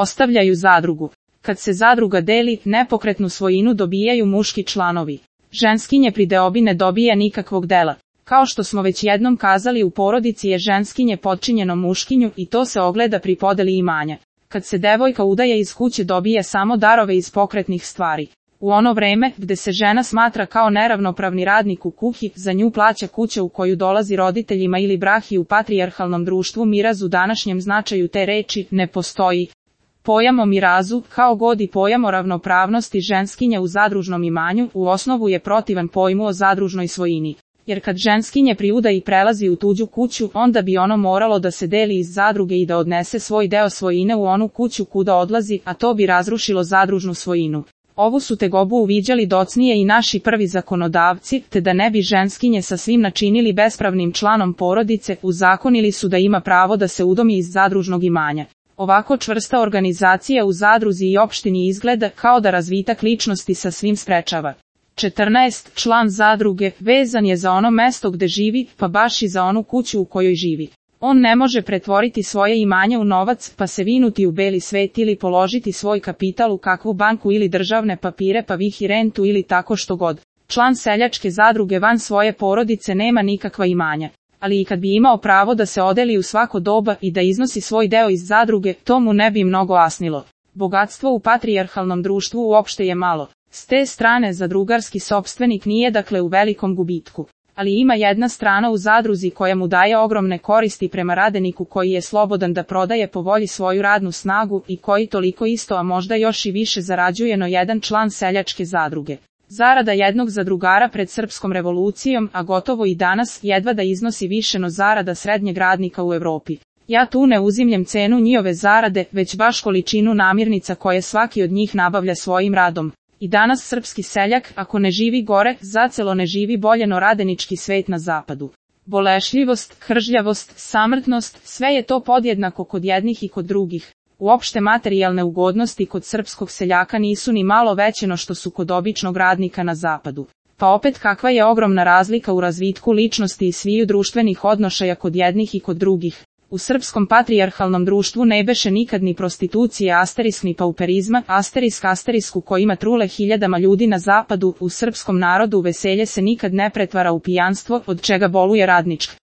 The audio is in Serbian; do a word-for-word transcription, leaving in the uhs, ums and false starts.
Ostavljaju zadrugu. Kad se zadruga deli, nepokretnu svojinu dobijaju muški članovi. Ženskinje pri deobi ne dobija nikakvog dela. Kao što smo već jednom kazali, u porodici je ženskinje potčinjeno muškinju i to se ogleda pri podeli imanja. Kad se devojka udaje iz kuće dobija samo darove iz pokretnih stvari. U ono vreme, gde se žena smatra kao neravnopravni radnik u kući, za nju plaća kuća u koju dolazi roditeljima ili brahi u patrijarhalnom društvu miraz u današnjem značaju te reči ne postoji. Pojam o mirazu, kao god i pojam o ravnopravnosti ženskinja u zadružnom imanju, u osnovu je protivan pojmu o zadružnoj svojini. Jer kad ženskinje pri udaji prelazi u tuđu kuću, onda bi ono moralo da se deli iz zadruge i da odnese svoj deo svojine u onu kuću kuda odlazi, a to bi razrušilo zadružnu svojinu. Ovu su tegobu uviđali docnije i naši prvi zakonodavci, te da ne bi ženskinje sa svim načinili bespravnim članom porodice, uzakonili su da ima pravo da se udomi iz zadružnog imanja. Ovako čvrsta organizacija u zadruzi i opštini izgleda kao da razvitak ličnosti sa svim sprečava. četrnaest. Član zadruge vezan je za ono mesto gde živi, pa baš i za onu kuću u kojoj živi. On ne može pretvoriti svoje imanje u novac, pa se vinuti u beli svet ili položiti svoj kapital u kakvu banku ili državne papire pa vihi rentu ili tako što god. Član seljačke zadruge van svoje porodice nema nikakva imanja. Ali i kad bi imao pravo da se odeli u svako doba i da iznosi svoj deo iz zadruge, to mu ne bi mnogo asnilo. Bogatstvo u patrijarhalnom društvu uopšte je malo. S te strane zadrugarski sopstvenik nije dakle u velikom gubitku. Ali ima jedna strana u zadruzi koja mu daje ogromne koristi prema radeniku koji je slobodan da prodaje po volji svoju radnu snagu i koji toliko isto, a možda još i više zarađuje no jedan član seljačke zadruge. Zarada jednog zadrugara pred srpskom revolucijom, a gotovo i danas, jedva da iznosi više no zarada srednjeg radnika u Evropi. Ja tu ne uzimljem cenu njihove zarade, već baš količinu namirnica koje svaki od njih nabavlja svojim radom. I danas srpski seljak, ako ne živi gore, zacelo ne živi bolje no radenički svet na zapadu. Bolešljivost, kržljavost, samrtnost, sve je to podjednako kod jednih i kod drugih. Uopšte materijalne ugodnosti kod srpskog seljaka nisu ni malo veće no što su kod običnog radnika na zapadu. Pa opet kakva je ogromna razlika u razvitku ličnosti i sviju društvenih odnošaja kod jednih i kod drugih. U srpskom patrijarhalnom društvu ne beše nikad ni prostitucije asterisk ni pauperizma, asterisk asterisku kojima trule hiljadama ljudi na zapadu, u srpskom narodu veselje se nikad ne pretvara u pijanstvo, od čega boluje radnička